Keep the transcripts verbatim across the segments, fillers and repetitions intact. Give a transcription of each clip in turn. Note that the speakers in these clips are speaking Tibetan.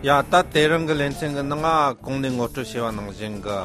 ཡ། ད་དེ་རིང་གི་ལེ་ཚན་གྱི་ནང་ང་གོང་ནས་ངོ་སྤྲོད་བྱས་པ་ནང་བཞིན་གྱི།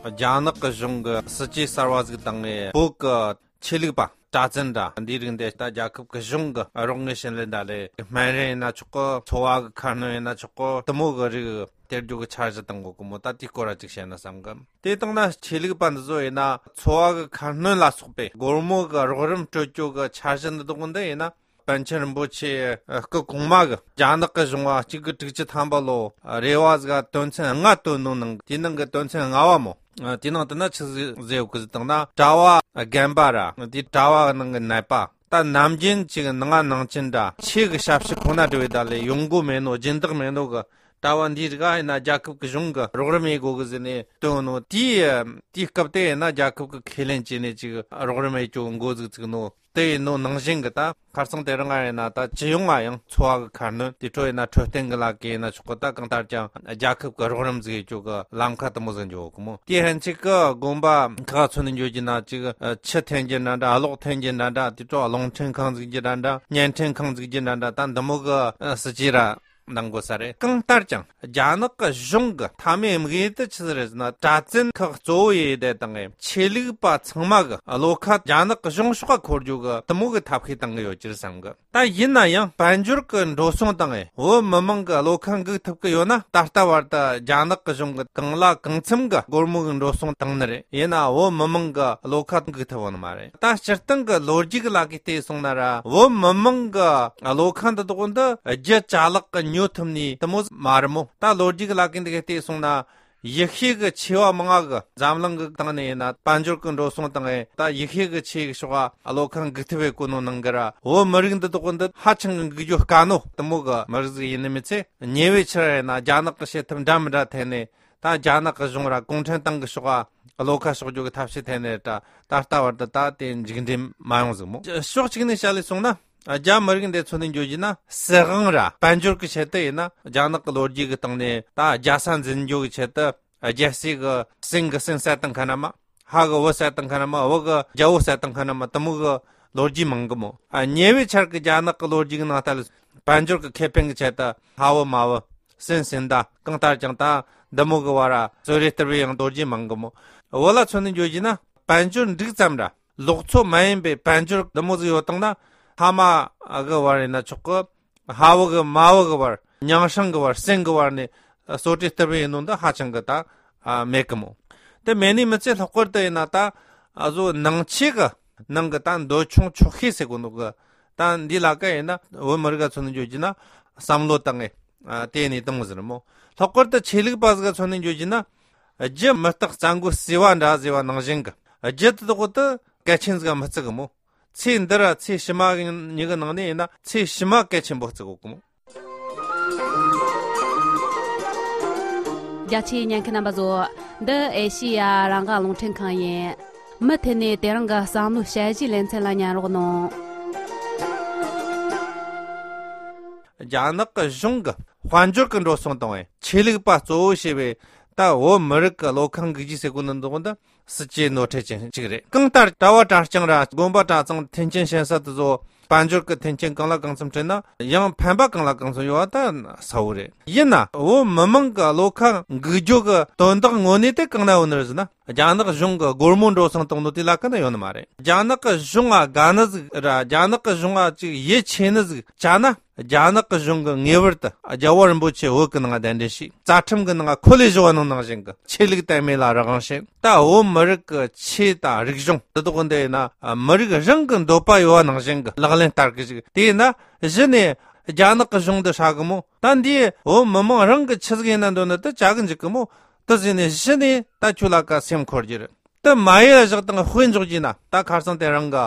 རྒྱ་ནག་གི་གཞུང་གི་སྲིད་ཇུས་གསར་བ་ཟིག་བཏང་ངས། བོད་ཀྱི་ཆོས་ལུགས་པ་གྲྭ་བཙུན་འདྲ་འདིའི་རིགས་འདི་ད་རྒྱལ་ཁབ་ཀྱི་གཞུང་གི་རོགས་དངུལ་བྱིན་ལེན་འདྲ་ལས། སྨན་རིན་ཡིན་ན་ཆོག་གི། འཚོ་བ་གི་ཁ་སྣོན་ཡིན་ན་ཆོག་གི། དེ་མོ་གི་རིགས་སྟེར་རྒྱུ་གི་འཆར་གཞི་བཏང་གོ་གི་མོ། ད་དེའི་སྐོར་ར་ཅིག་བཤད་ན་བསམ་གི། དེ་བཏང་ན་ཆོས་ལུགས་པ་འདི་ཚོ་ཡིན་ན་འཚོ་བ་གི་ཁ་སྣོན་ལ་སོགས་པའི་སྒོར་མོ་གི་རོགས་རམ་སྤྲོད་རྒྱུ་གི་འཆར་གཞི་འདི་དག་འདི་ཡིན་ན། པཎ་ཆེན་རིན་པོ་ཆེ་སྐུ་གོང་མ་གི་རྒྱ་ནག་གི་གཞུང་བ་གཅིག་དགུ་དྲུག་ཅུ་ཐམ་པ་ལོ་རེ་བ་ཟིག་དོན་ཚན་ལྔ་བཏོན་ནོ་ནང་། དེའི་ནང་གི་དོན་ཚན་ལྔ་བ་མོ། དེའི་ནང་དུ་ན་ཆི་ཟིག་ཟེར་ཡོད་གི་ཟེར་བཏང་ན། གྲྭ་བ་རྒན་པ་ར་དེ་གྲྭ་བ་ནང་གི་ནད་པ། ད་ནམ་རྒྱུན་གཅིག་ནང་ང་ནང་ཆེན་འདྲ་ཆོས་གི་ཞབས་ཕྱི་ཁོ་ན་འགྲོ་བའི་ད་ལས་ཡོང་སྒོ་མེད་ནོ། སྦྱིན་བདག་མེད་ནོ་གི་གྲྭ་བ་འདིའི་རིགས་ཡིན་ན་རྒྱལ་ཁབ་ཀྱི་གཞུང་གི་རོགས་རམ་ཡེད་དགོ་གི་ཟེར་ནས་བཏོན་ནོ། དེའི་དེའི་སྐབས་དེ་ཡིན་ན་རྒྱལ་ཁབ་ཀྱི་ཁས་ལེན་བྱས་ནས་ཅིག་རོགས་རམ་ཡེད་རྒྱུ་འགོ་ཟིག་བཙུགས་ནོ། དེ་ཡིན་ནོ་ནང་བཞིན་གྱི་ད་ཁ་སང་དེ་རིང་ང་ཡིན་ན་ད་སྤྱི་ཡོངས་ང་ཡང་འཚོ་བ་གི་ཁ་སྣོན་དེ་འཕྲོ་ཡིན་ན་འཕྲོད་བསྟེན་གྱི་ལག་གི་ཡིན་ན་ཆོག་གི། ད་གང་ལྟར་ཀྱང་རྒྱལ་ཁབ་ཀྱི་རོགས་རམ་ཟིག་ཡེད་རྒྱུ་གི་ལམ་ཁ་དེ་མོ་ཟིག་འགྱོ་གི་མོ། དེ་ཧན་ཅིག་གི་དགོན་པ་ཁག་མཚོན་ནས་འགྱོ་རྒྱུ་ན་ཅིག་ཆུ་འཐེན་རྒྱུ་འདྲ་འདྲ། གློག་འཐེན་རྒྱུ་འདྲ་འདྲ། དེ་འཕྲོ་རླུང་འཕྲིན་ཁང་འཛུགས་རྒྱུ་འདྲ་འདྲ། བརྙན་འཕྲིན་ཁང་འཛུགས་རྒྱུ་འདྲ་འདྲ། ད་འདི་མོ་གི་སྲིད་ཇུས་ར་གནང་དགོས་ས་རེད། གང་ལྟར་ཀྱང་རྒྱ་ནག་གི་གཞུང་གི་མཐའ་མའི་དམིགས་ཡུལ་དེ་ཆི་ཟིག་རེད་ཟེར་ན། གྲྭ་བཙུན་ཁག་གཙོ་བོ་ཡེ་དེ་དང་ཆོས་ལུགས་པ་ཚང་མ་གི་བློ་ཁ་རྒྱ་ནག་གི་གཞུང་ཕྱོགས་ཁ་འཁོར་རྒྱུ་གི་དེ་མོ་གི་ཐབས་ཤེས་བཏང་གི་ཡོད་ཀྱི་རེད་བསམ་གི། ད་ཡིན་ན་ཡང་དཔལ་འབྱོར་གི་འགྲོ་སོང་དང་བོད་མི་མང་གི་བློ་ཁ་འགུག་ཐུབ་གི་ཡོད་ན། ད་ལྟ་བར་དུ་རྒྱ་ནག་གི་གཞུང་གི་གང་ལ་གང་འཚམ་གི་སྒོར་མོ་གི་འགྲོ་སོང་བཏང་ནི་རེད། ཡིན་ན་བོད་མི་མང་གི་བློ་ཁ་འགུག་ཐུབ་བོ་ནི་མ་རེད། ད་སྤྱིར་བཏང་གི་ལོ་རྒྱུས་ཀྱི་ལ་གི་བལྟས་སོང་ན་ར། བོད་མི་མང་གི་བློ་ཁ་འདི་དག་འདི་རྒྱུ་ཅ་ལག་གི་ཉོ་ཐུབ་ནི་དེ་མོ་མ་རེད་མོ། ད་ལོ་རྒྱུས་ཀྱི་ལ་གི་འདི་གི་བལྟས་སོང་ན། ཡེ་ཤུ་གི་ཆེ་བ་མང་ང་གི་འཛམ་གླིང་གི་སྟེང་ནས་ཡིན་ན་དཔལ་འབྱོར་གི་འགྲོ་སོང་དང་། ད་ཡེ་ཤུ་གི་ཆེ་གི་ཕྱོགས་ཨ་བློ་ཁ་འགུག་ཐུབ་པའི་གོ་ནོ་ནང་གི་ར། བོད་མི་རིགས་འདི་དག་འདི་ཧ་ཅང་གི་འགུག་རྒྱུ་དཀའ་ནོ་དེ་མོ་གི་མི་རིགས་ཟིག་ཡིན་ནི་མི་ཚད། ཉེ་བའི་ཆར་ཡིན་ན་རྒྱ་ནག་གི་བྱེད་ཐབས་འདྲ་མི་འདྲ་ཐད་ནས། ད་རྒྱ་ནག་གི་གཞུང་ར་གུང་ཁྲན་ཏང་གི་ཕྱོགས་ཨ་བློ་ཁ་ཕྱོགས་རྒྱུ་གི་ཐབས་ཤེས་ཐད་ནས་ད་ད་ལྟ་བར་དུ་ད་དེ་མཇུག་འབྲས་མ་ཡོང་ཟིག་མོ། ཕྱོགས་གཅིག་ནས་བཤད་ལས་སོང་ན། རྒྱ་མི་རིགས་འདི་ཚོ་ནས་འགྱོ་རྒྱུ་ན། སྲིད་དབང་ར་དཔལ་འབྱོར་གྱི་ཆེད་དུ་ཡིན་ན། རྒྱ་ནག་གི་ལོ་རྒྱུས་ཀྱི་སྟེང་ནས་ད་རྒྱལ་ས་འཛིན་རྒྱུ་གི་ཆེད་དུ། རྒྱལ་སྲས་ཀྱི་སྲིན་གི་སྲིན་བསད་བཏང་མཁན་ར་མ། ཧ་གི་བུ་བསད་བཏང་མཁན་ར་མ། བུ་གི་རྒྱལ་བོ་བསད་བཏང་མཁན་ར་མ། དེ་མོ་གི་ལོ་རྒྱུས་མང་གི་མོ། ཉེ་བའི་ཆར་གི་རྒྱ་ནག་གི་ལོ་རྒྱུས་ཀྱི་ནང་ལྟར་དཔལ་འབྱོར་གྱི་ཁེ་ཕན་གྱི་ཆེད་དུ་ཧ་བུ་མ་བུ། སྲིན་སྲིན་ཟླ། གང་ལྟར་ཀྱང་ད་འདི་མོ་གི་བར་ར་བཟོ་རེ་སྟེར་བའི་ཡང་ལོ་རྒྱུས་མང་གི་མོ། བོད་ལ་མཚོན་ནས་འགྱོ་རྒྱུ་ན། དཔལ་འབྱོར་འགྲིག་ཙམ་ར། ལོག་འཚོ་མ་ཡིན་པའི་དཔལ་འབྱོར་འདི་མོ་ཟིག་ཡོད་བཏང་ན། ཕ་མ་གི་བར་ཡིན་ན་ཆོག་གི། ཕ་བུ་གི་མ་བུ་གི་བར། མྱང་སྲིང་གི་བར། སྲིན་གི་བར་ནས་བཟོ་གྲྭའི་སྟེར་བའི་ཡིན་ནོ་འདི་ཧ་ཅང་གི་ད་མེད་གི་མོ། དེ་མེད་ནི་མི་ཚད་ལྷག་པར་དུ་ཡིན་ན་ད་ཨ་བཟོ་ནང་ཆོས་གི་ནང་གི་ད་འདོད་ཆུང་ཆོག་ཤེས་ཟེར་གོ་ནོ་གི། ད་འདི་ལ་ཀ་ཡིན་ན་བོད་མི་རིགས་ག་མཚོན་ནས་འགྱོ་རྒྱུ་ན་བསམ་བློ་བཏང་ངས་དེ་ནས་བཏང་ཟེར་མོ། ལྷག་པར་དུ་ཆོས་ལུགས་པ་ཟིག་ག་མཚོན་ནས་འགྱོ་རྒྱུ་ན། རྒྱུ་མི་རྟག་རྩྭ་མགོ་ཟེ་བ་འདྲ་ཟེར་བ་ནང་བཞིན་གི། རྒྱུ་དེ་དག་ཏུ་གལ་ཆེན་ཟིག་མི་བརྩི་གི་མོ། ཚེ་འདི་ར་ཚེ་ཕྱི་མ་གི་གཉིས་ཀྱི་ནང་ནས་ཡིན་ན་ཚེ་ཕྱི་མ་གལ་ཆེན་པོ་བརྩི་གོ་གི་མོ། རྒྱ་ཆེའི་ཉན་མཁན་རྣམ་པ་ཚོ། འདི་ཨེ་ཤི་ཡ་རང་དབང་རླུང་འཕྲིན་ཁང་ཡིན། མུ་མཐུད་ནས་དེ་རིང་གི་བསམ་བློའི་དཔྱད་གཞིའི་ལེ་ཚན་ལ་ཉན་རོགས་གནང་། རྒྱ་ནག་གི་གཞུང་གི་དཔལ་འབྱོར་གྱི་འགྲོ་སོང་དང་ཆོས་ལུགས་པ་གཙོ་བོ་བྱས་པའི་ད་བོད་མི་རིགས་ཀྱི་བློ་ཁ་འགུག་རྒྱུ་ཟེར་གོ་ནི་འདུག་འདི། སྲིད་ཇུས་ནོར་འཁྲུལ་ཅན་ཅིག་རེད། གང་ལྟར་གྲྭ་བ་གྲྭ་རྐྱང་ར་དགོན་པ་གྲྭ་ཚང་མཐུན་རྐྱེན་ཞན་ས་དེ་ཚོ་དཔལ་འབྱོར་གྱི་མཐུན་རྐྱེན་གང་ལ་གང་འཚམ་བྲལ་ན་ཡང་ཕན་པ་གང་ལ་གང་འཚམ་ཡོད་པ་ད་གསལ་བོ་རེད། ཡིན་ན་བོད་མི་མང་གི་བློ་ཁ་འགུག་རྒྱུ་གི་དོན་དག་དངོས་གནས་དེ་གང་ན་ཡོད་ནི་རེད་ཟེར་ན། རྒྱ་ནག་གཞུང་གི་སྒོར་མོ་འགྲོ་སོང་གཏོང་ནོ་དེ་ལ་ཀ་ན་ཡོད་ནི་མ་རེད། རྒྱ་ནག་གི་གཞུང་ང་དགའ་ནི་ཟིག་ར་རྒྱ་ནག་གི་གཞུང་ང་ཅིག་ཡིད་ཆེས་ནི་ཟིག་བྱ་ན། རྒྱ་ནག་གི་གཞུང་གི་ངེས་པར་དུ་རྒྱལ་བ་རིན་པོ་ཆེ་བོད་ཀྱི་ནང་གདན་འདྲེན་བྱས། རྩ་ཁྲིམས་ཀྱི་ནང་འཁོད་ལས་བཞག་པ་ནང་ནང་བཞིན་གྱི་ཆོས་ལུགས་དད་མོས་ལ་རང་དབང་བྱས། ད་བོད་མི་རིགས་ཀྱི་ཆོས་དང་རིག་གཞུང་འདི་དག་འདི་ཡིན་ན་མི་རིགས་རང་གི་འདོད་པ་ཡོད་པ་ནང་བཞིན་གྱི་ལག་ལེན་བསྟར་གི་ཞིག་དེ་ཡིན་ན་གཞི་ནས་རྒྱ་ནག་གི་གཞུང་འདི་ཧྲ་གི་མོ། ད་འདིས་བོད་མི་མང་རང་གི་ཆི་ཟིག་ཡིན་ན་འདོད་ན་དེ་བྱ་གི་འཇུག་གི་མོ། དེ་ཟིན་ནས་གཞི་ནས་ད་ཁྱོད་ལ་ཀ་སེམས་འཁོར་རྒྱུ་རེད། དེ་མ་ཡེ་ལ་བཞག་དང་དཔེ་འཇོག་རྒྱུ་ན་ད་ཁ་སང་དེ་རིང་གི་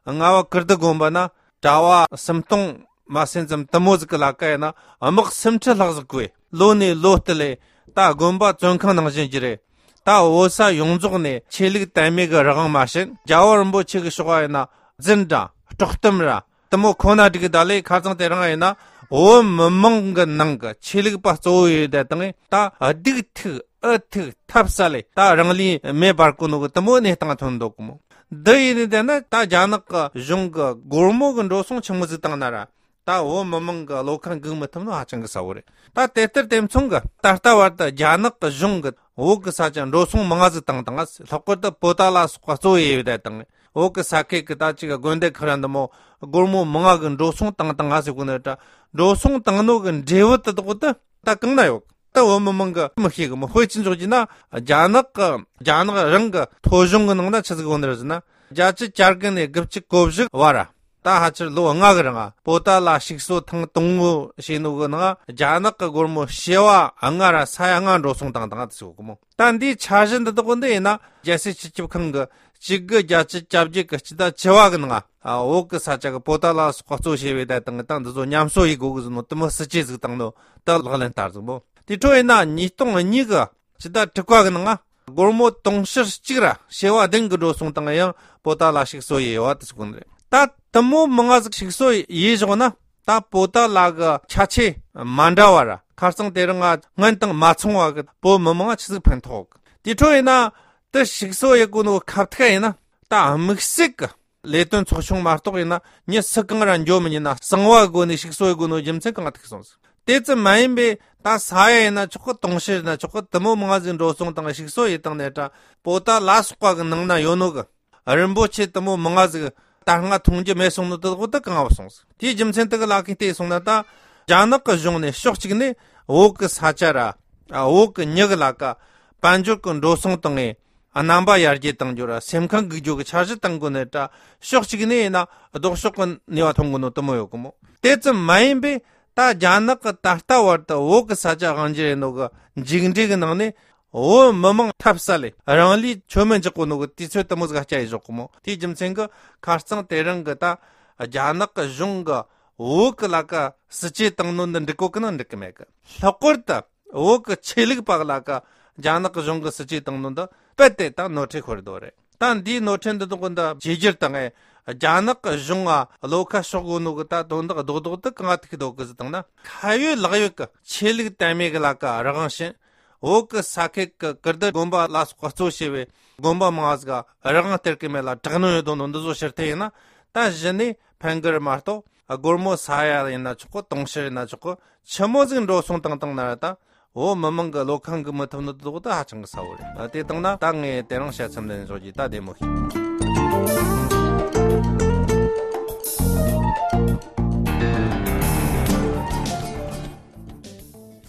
རྔ་བ་ཀིརྟི་དགོན་པ་ན་གྲྭ་བ་སུམ་སྟོང་མ་ཟིན་ཙམ་དེ་མོ་ཟིག་གི་ལ་ཀ་ཡིན་ན་དམག་སུམ་ཁྲི་ལྷག་ཟིག་བགོས། ལོ་ནས་ལོ་སྟེ་ལས་ད་དགོན་པ་བཙོན་ཁང་ནང་བཞིན་གྱི་རེད། ད་བོད་ས་ཡོངས་རྫོགས་ནས་ཆོས་ལུགས་དད་མོས་ཀྱི་རང་དབང་མ་བྱིན། རྒྱལ་བ་རིན་པོ་ཆེ་གི་ཕྱོགས་ཡིན་ན་རྫུན་དྲ་དཀྲོག་གཏམ་ར་དེ་མོ་ཁོ་ན་འགྲིག་གི་ད་ལས། ཁ་སང་དེ་རིང་ཡིན་ན་བོད་མི་མང་གི་ནང་གི་ཆོས་ལུགས་པ་གཙོ་བོ་ཡོད་དེ་དང་ད་སྡུག་ཐུག་ཨུ་ཐུག་ཐབས་ས་ལས་ད་རང་ལུས་མེ་འབར་གོ་ནོ་གི་དེ་མོ་གནས་སྟངས་ཐོན་འདུག་གི་མོ། འདི་ཡིན་ནི་དེ་ན་ད་རྒྱ་ནག་གི་གཞུང་གི་སྒོར་མོ་གི་འགྲོ་སོང་ཆི་མོ་ཟིག་བཏང་ན་ར། ད་ ད་བོད་མི་མང་གི་བློ་ཁ་འགུག་མི་ཐུབ་ནོ་ཧ་ཅང་གི་གསལ་བོ་རེད། ད་དེ་ལྟར་དེ་མཚུངས་ཀྱི་ད་ལྟ་བར་དུ་རྒྱ་ནག་གི་གཞུང་གི་བོད་ཀྱི་ས་ཆ་འགྲོ་སོང་མང་ང་ཟིག་བཏང་བཏང་ང་། ལྷག་པར་དུ་པོ་ཏཱ་ལ་སོགས་པ་གཙོ་བོ་ཡེ་བའི་ད་དང་། བོད་ཀྱི་ས་ཁུལ་གྱི་ད་ཅིག་དགོན་སྡེ་ཁག་ར་འདི་མོ་སྒོར་མོ་མང་ང་གི་འགྲོ་སོང་བཏང་བཏང་ང་ཟེར་གོ་ནི་རེད། འགྲོ་སོང་བཏང་ནོ་གི་འབྲས་བུ་དེ་དག་དེ་ད་གང་ན་ཡོད། ད་བོད་མི་མང་གི་མི་ཤེས་གི་མོ། དཔེ་ཅི་འཇོག་རྒྱུ་ན། རྒྱ་ནག་གི་རྒྱ་ནག་རང་གི་ཐོ་གཞུང་གི་ནང་ན་ཆི་ཟིག་ཡོད་ནི་རེད་ཟེར་ན། བརྒྱད་ཅུ་གྱ་དགུ་ནས་དགུ་བཅུ་གོ་བཞི་བར་ར། ད་ཕལ་ཆེར་ལོ་ལྔ་གི་རིང་ང་པོ་ཏཱ་ལ་ཞིག་གསོ་ཐེངས་དང་པོ་བྱས་ནོ་གི་ནང་རྒྱ་ནག་གི་སྒོར་མོ་བྱེ་བ་ལྔ་ར་ས་ཡ་ལྔ་འགྲོ་སོང་བཏང་བཏང་ཟེར་གོ་གི་མོ། ད་འདིའི་འཆར་གཞི་འདི་དག་འདི་ཡིན་ན་རྒྱལ་སྲིད་སྤྱི་ཁྱབ་ཁང་གི་གཅིག་དགུ་བརྒྱད་ཅུ་གྱ་བརྒྱད་གི་སྤྱི་ཟླ་བཅུ་བ་གི་ནང་ང་བོད་གི་ས་ཆ་གི་པོ་ཏཱ་ལ་སོགས་གཙོ་བྱས་པའི་ད་དང་ད་འདི་ཚོ་ཉམས་གསོ་ཡེ་དགོ་གི་ཟེར་ནོ་དེ་མོ་སྲིད་ཇུས་ཟིག་བཏང་ནོ་ད་ལག་ལེན་བསྟར་ཟིག་མོ། དེ་འཕྲོ་ཡིན་ན་ཉིས་སྟོང་གཉིས་གི་སྤྱི་ཟླ་དྲུག་པ་གི་ནང་ང་སྒོར་མོ་དུང་ཕྱུར་གཅིག་ར་བྱེ་བ་བདུན་གི་འགྲོ་སོང་བཏང་ཡང་པོ་ཏཱ་ལ་ཞིག་གསོ་ཡེ་བ་དེ་ཟེར་གོ་ནི་རེད། ད་དེ་མོ་མང་ང་ཟིག་ཞིག་གསོ་ཡེ་བཞག་ན་ད་པོ་ཏཱ་ལ་གི་ཁྱད་ཆོས་མ་འདྲ་བ་ར་ཁ་རྩང་དེ་རིང་ང་སྔོན་དང་མ་མཚུངས་བ་གི་བོད་མི་མང་ང་ཆི་ཟིག་ཕན་ཐོགས། དེ་འཕྲོ་ཡིན་ན་དེ་ཞིག་གསོ་ཡེ་གོ་ནོ་ཁ་ཐུག་ཡིན་ན་ད་དམིགས་བསལ་གི་ལས་དོན་ཚོགས་ཆུང་མ་གཏོགས་ཡིན་ན་མྱི་སུ་གང་ར་འགྱོ་མི་ཉན་ན་གསང་བ་སྒོ་ནས་ཞིག་གསོ་ཡེ་དགོས་ནོ་རྒྱུ་མཚན་གང་ཐུག་སོང་ཟིག་དེ་ཙམ་མ་ཡིན་པའི་ད་ས་ཡ་ཡིན་ན་ཆོག་གི་དུང་ཕྱུར་ཡིན་ན་ཆོག་གི་དེ་མོ་མང་ང་ཟིག་འགྲོ་སོང་བཏང་ཞིག་གསོ་ཡེ་བཏང་ནས་ད་པོ་ཏཱ་ལ་སོགས་པ་གི་ནང་ན་ཡོད་ནོ་གི་རིན་པོ་ཆེ་དེ་མོ་མང་ང་ཟིག་ད་སྔ་མཐོང་རྒྱུ་མེད་སོང་ནོ་དེ་དག་དེ་གང་བ་སོང་ཟིག་དེའི་རྒྱུ་མཚན་དེ་གི་ལ་ཁེ་བལྟས་སོང་ན་ད་རྒྱ་ནག་གི་གཞུང་ནས་ཕྱོགས་གཅིག་ནས་བོད་གི་ས་ཆ་ར་བོད་གི་མྱི་གི་ལ་ཀ་དཔལ་འབྱོར་གི་འགྲོ་སོང་བཏང་ངས། རྣམ་པ་ཡར་རྒྱས་གཏང་རྒྱུ་ར་སེམས་ཁམས་འགུག་རྒྱུ་གི་འཆར་གཞི་བཏང་དགོས་ནི་ད་ཕྱོགས་གཅིག་ནས་ཡིན་ན་ལྡོག་ཕྱོགས་གི་ནུས་པ་ཐོན་དགོས་ནོ་དེ་མོ་ཡོད་གི་མོ། དེ་ཙམ་མ་ཡིན་པས་ད་རྒྱ་ནག་གི་ད་ལྟ་བར་དུ་བོད་གི་ས་ཆ་དབང་སྒྱུར་ཡེ་ནོ་གི་མཇུག་འབྲས་གི་ནང་ནས་བོད་མི་མང་ཐབས་ཟད་ལས་རང་ལུས་མཆོད་མེ་འཇོག་གོ་ནོ་གི་དུས་ཚོད་དེ་མོ་ཟིག་སྐྱེལ་ཡེ་བཞག་གི་མོ། དེའི་རྒྱུ་མཚན་གི་ཁ་རྩང་དེ་རིང་གི་ད་རྒྱ་ནག་གི་གཞུང་གི་བོད་གི་ལ་ཀ་སྲིད་ཇུས་བཏང་ནོ་འདི་འགྲིག་གོ་གི་ན་འགྲིག་གི་མེད་གི། ལྷག་པར་དུ་བོད་ཀྱི་ཆོས་ལུགས་པ་ལ་ཀ་རྒྱ་ནག་གཞུང་གི་སྲིད་ཇུས་བཏང་ནོ་འདི་རྦད་དེ་ད་ནོར་འཁྲུལ་ཤོར་འདུག་རེད། ད་འདིའི་ནོར་འཁྲུལ་འདི་དག་འདི་བཅོས་བསྒྱུར་བཏང་ངས་རྒྱ་ནག་གི་གཞུང་ང་བློ་ཁ་ཕྱོགས་དགོས་ནོ་གི་ད་དོན་དག་རྡོག་རྡོག་དེ་གང་ཐུག་འདུག་གི་ཟེར་བཏང་ན། ཁ་ཡོད་ལག་ཡོད་ཀྱི་ཆོས་ལུགས་དད་མོས་གི་ལ་ཀ་རང་དབང་ཞིང་། བོད་ཀྱི་ས་ཁུལ་གྱི་ཀིརྟི་དགོན་པ་ལ་སོགས་པ་གཙོ་བྱས་པའི་དགོན་པ་མང་ཟིག་རང་དབང་སྟེར་གི་མེད་ལ་དྲག་གནོན་ཡོད་དོ་ནོ་འདི་ཚོ་ཕྱིར་འཐེན་ཡིན་ན་ད་གཞི་ནས་ཕན་གི་རེད་མ་གཏོགས་སྒོར་མོ་ས་ཡ་ཡིན་ན་ཆོག་གི་དུང་ཕྱུར་ཡིན་ན་ཆོག་གི་ཆི་མོ་ཟིག་འགྲོ་སོང་བཏང་བཏང་ན་ར་ད། བོད་མི་མང་གི་བློ་ཁ་འགུག་མི་ཐུབ་ནི་དེ་དག་ད་ཧ་ཅང་གི་གསལ་བོ་རེད། ཨ། དེ་བཏང་ན་ད་ངས་དེ་རིང་བཤད་མཚམས་འདི་ནས་འཇོག་རྒྱུ། ད་བདེ་མོ་བྱོས།